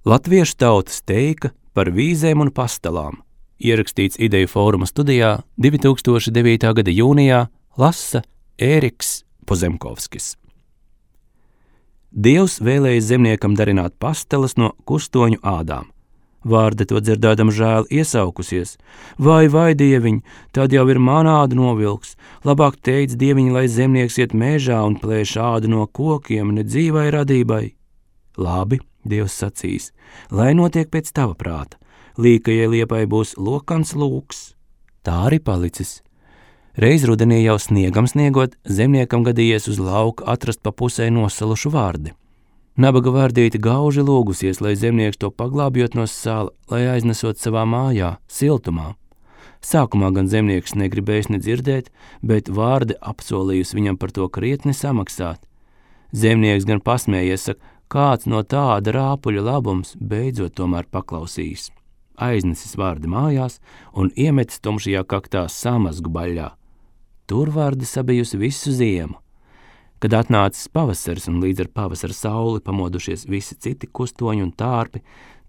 Latviešu tautas teika par vīzēm un pastalām, ierakstīts Ideju fóruma studijā 2009. gada jūnijā, lasa Ēriks Pozemkovskis. Dievs vēlēja zemniekam darināt pasteles no kustoņu ādām. Vārde to dzirdēdam žēl iesaukusies. Vai, dieviņ, tad jau ir manā āda novilks. Labāk teic, dieviņ, lai zemnieks iet mežā un plēš ādu no kokiem, ne dzīvai radībai. Labi, Dievs sacīs, lai notiek pēc tava prāta. Līkajai liepai būs lokans lūks. Tā arī palicis. Reiz rudenī jau sniegam sniegot, zemniekam gadījies uz lauka atrast pa pusē nosalušu vārdi. Nabaga vārdīte gauži lūgusies, lai zemnieks to paglābjot no sāla, lai aiznesot savā mājā, siltumā. Sākumā gan zemnieks negribējis nedzirdēt, bet vārde apsolījusi viņam par to krietni samaksāt. Zemnieks gan pasmējies, saka, kāds no tāda rāpuļa labums beidzot tomēr paklausījis. Aiznesis vārdi mājās un iemetis tumšajā kaktā samazgu baļļā. Tur vārdi sabijusi visu ziemu. Kad atnācis pavasaris un līdz ar pavasara sauli pamodušies visi citi kustoņi un tārpi,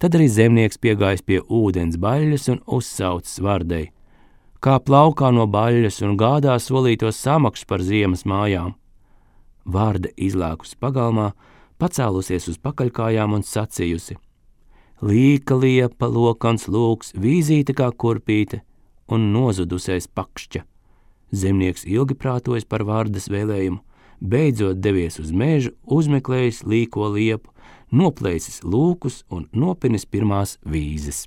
tad arī zemnieks piegājis pie ūdens baļļas un uzsaucis vārdei. Kā plaukā no baļļas un gādā solīto samaksu par ziemas mājām. Vārde izlēkusi pagalmā, pacēlusies uz pakaļkājām un sacījusi. Līka liepa, lokans lūks, vīzīte kā kurpīte un nozudusais pakšķa. Zemnieks ilgi prātojas par vārdes vēlējumu, beidzot devies uz mežu, uzmeklējis līko liepu, noplēsis lūkus un nopinis pirmās vīzes.